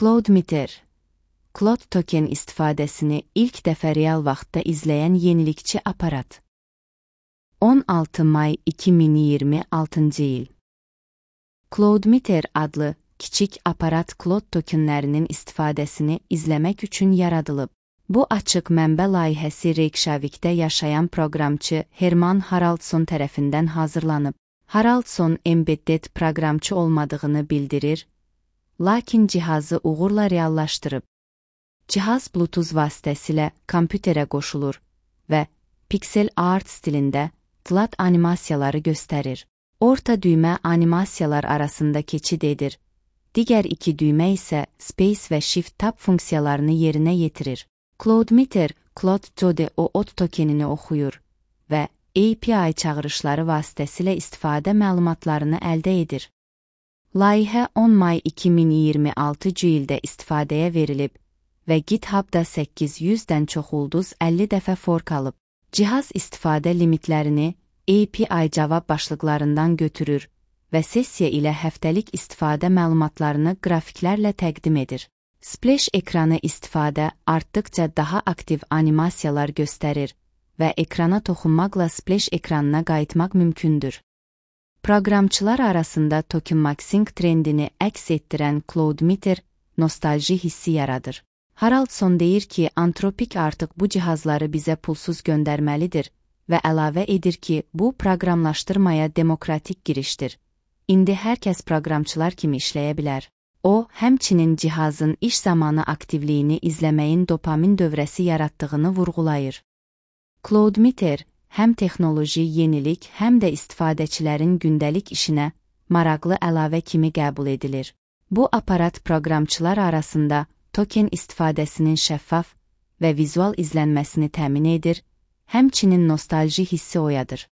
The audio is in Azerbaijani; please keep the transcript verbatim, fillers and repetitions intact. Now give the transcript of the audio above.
Cloudmeter, Cloud token istifadəsini ilk dəfə real vaxtda izləyən yenilikçi aparat. on altı may iki min iyirmi altıncı il. Cloudmeter adlı kiçik aparat Cloud tokenlərinin istifadəsini izləmək üçün yaradılıb. Bu açıq mənbə layihəsi Reykjavikdə yaşayan proqramçı Herman Haraldsson tərəfindən hazırlanıb. Haraldsson embedded proqramçı olmadığını bildirir, lakin cihazı uğurla reallaşdırıb. Cihaz Bluetooth vasitəsilə kompüterə qoşulur və pixel art stilində flat animasiyaları göstərir. Orta düymə animasiyalar arasında keçid edir. Digər iki düymə isə Space və Shift Tab funksiyalarını yerinə yetirir. Cloudmeter, Cloud Jode O O T tokenini oxuyur və A P I çağırışları vasitəsilə istifadə məlumatlarını əldə edir. Layihə on may iki min iyirmi altıncı ildə istifadəyə verilib və GitHubda səkkiz yüzdən çox ulduz əlli dəfə fork alıb. Cihaz istifadə limitlərini A P I cavab başlıqlarından götürür və sessiya ilə həftəlik istifadə məlumatlarını qrafiklərlə təqdim edir. Splash ekranı istifadə artdıqca daha aktiv animasiyalar göstərir və ekrana toxunmaqla splash ekranına qayıtmaq mümkündür. Proqramçılar arasında tokenmaxing trendini əks etdirən Cloudmeter nostalji hissi yaradır. Haraldsson deyir ki, Anthropic artıq bu cihazları bizə pulsuz göndərməlidir və əlavə edir ki, bu proqramlaşdırmaya demokratik girişdir. İndi hər kəs proqramçılar kimi işləyə bilər. O, həmçinin cihazın iş zamanı aktivliyini izləməyin dopamin dövrəsi yaratdığını vurğulayır. Cloudmeter həm texnoloji yenilik, həm də istifadəçilərin gündəlik işinə maraqlı əlavə kimi qəbul edilir. Bu aparat proqramçılar arasında token istifadəsinin şəffaf və vizual izlənməsini təmin edir, həmçinin nostalji hissi oyadır.